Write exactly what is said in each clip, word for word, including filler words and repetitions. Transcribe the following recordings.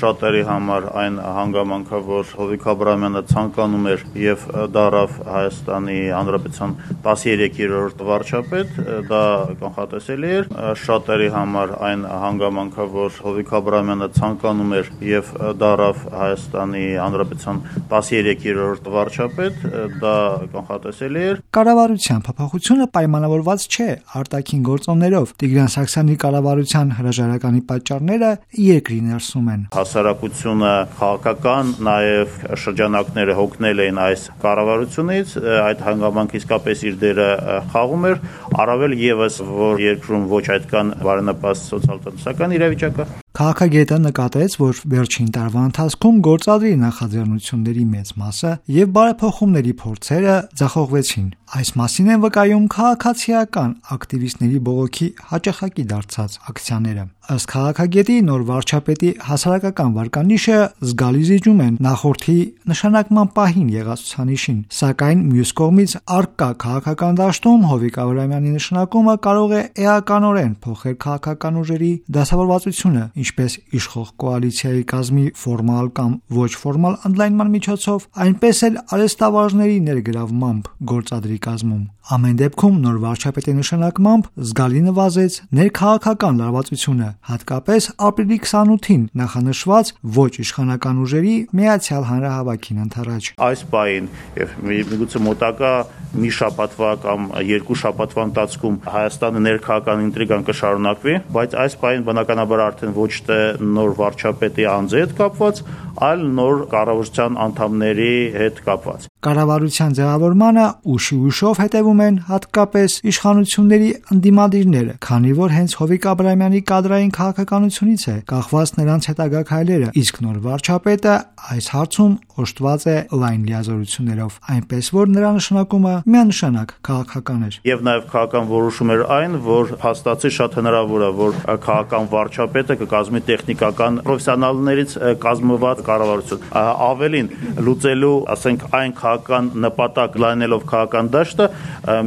շատերի համար այն հանգամանքը, որ Հովիկ Աբրահամյանը ցանկանում էր եւ դարավ Հայաստանի Հանրապետության տասներկերորդ վարչապետ, դա կանխատեսելի էր։ Շատերի համար այն հանգամանքը, որ Հովիկ Աբրահամյանը ցանկանում էր եւ դարավ Հայաստանի Հանրապետության տասներկերորդ վարչապետ, դա կանխատեսելի էր։ Կառավարության փոփոխությունը պայմանավորված չէ արտաքին գործոններով։ Տիգրան Սարգսյանի կառավարության հրաժարականի պատճառները երկրի ներսում են։ Հասարակությունը, քաղաքական, նաև շրջանակները հոգնել էին այս կառավարությունից, այդ հանգամանքը իսկապես իր դերը խաղում էր, առավել եւս, որ երկրում ոչ այդքան բարենպաստ սոցիալ-տնտեսական իրավիճակը։ Քաղաքագետը նկատեց, որ վերջին տարվա ընթացքում գործադրի նախաձեռնությունների մեծ մասը եւ բարեփոխումների փորձերը ձախողվեցին։ Այս մասին են վկայում քաղաքացիական ակտիվիստների բողոքի հաճախակի դարձած ակցիաները։ Ըստ քաղաքագետի, նոր վարչապետի հասարակական վարկանիշը զգալի զիջում են նախորդի նշանակման պահին եղած ցուցանիշին, սակայն մյուս կողմից առկա քաղաքական դաշտում Հովիկ Աբրահամյանի նշանակումը կարող է էականորեն փոխել քաղաքական ուժերի դասավորվածությունը, ինչպես իշխող կոալիցիայի կազմի ֆորմալ կամ ոչ ֆորմալ ընդլայնման միջոցով, այնպես էլ արհեստավարժների ներգրավմամբ գործադրի կազմում։ Ամեն դեպքում նոր վարչապետի նշանակմամբ զգալի նվազեց ներքաղաքական լարվածությունը, հատկապես ապրիլի քսանութին նախանշված ոչ իշխանական ուժերի միացյալ հանրահավաքին ընդառաջ։ Այս պահին եւ միգուցե մոտակա մի շաբաթվա կամ երկու շաբաթվա ընթացքում Հայաստանի ներքաղաքական ինտրիգան կշարունակվի, բայց այս պահին բնականաբար արդեն ոչ թե նոր վարչապետի անձի հետ կապված, այլ նոր կառավարության անդամների հետ կապված։ Կառավարության ձևավորմանը ուշի ուշով հետևում են հատկապես իշխանությունների ընդդիմադիրները, քանի որ հենց Հովիկ Աբրահամյանի կադրային քաղաքականությունից է կախված նրանց հետագա քայլերը, իսկ նոր վարչապետը այս հարցում օժտված է լայն լիազորություններով, այնպես որ նրա նշանակումը միանշանակ քաղաքական էր։ Եվ նաև քաղաքական որոշում էր այն, որ փաստացի շատ հնարավոր է, որ քաղաքական վարչապետը կկազմի տեխնիկական պրոֆեսիոնալներից կազմված կառավարություն։ Ավելին, լուծելու, ասենք, այն քաղաքական նպատակ լայնելով քաղաքական դաշտը,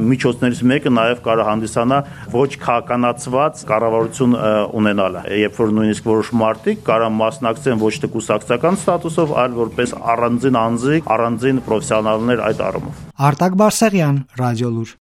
միջոցներից մեկը նաև կարող հանդիսանա ոչ քաղաքականացված կառավարություն ունենալը, երբ որ նույնիսկ որոշ մարդիկ կարող մասնակցեն ոչ թե կուսակցական ստատուսով, այլ որպես առանձին անձի, առանձին պրոֆեսիոնալներ այդ առումով։ Արտակ Բարսեղյան, Ռադիոլուր։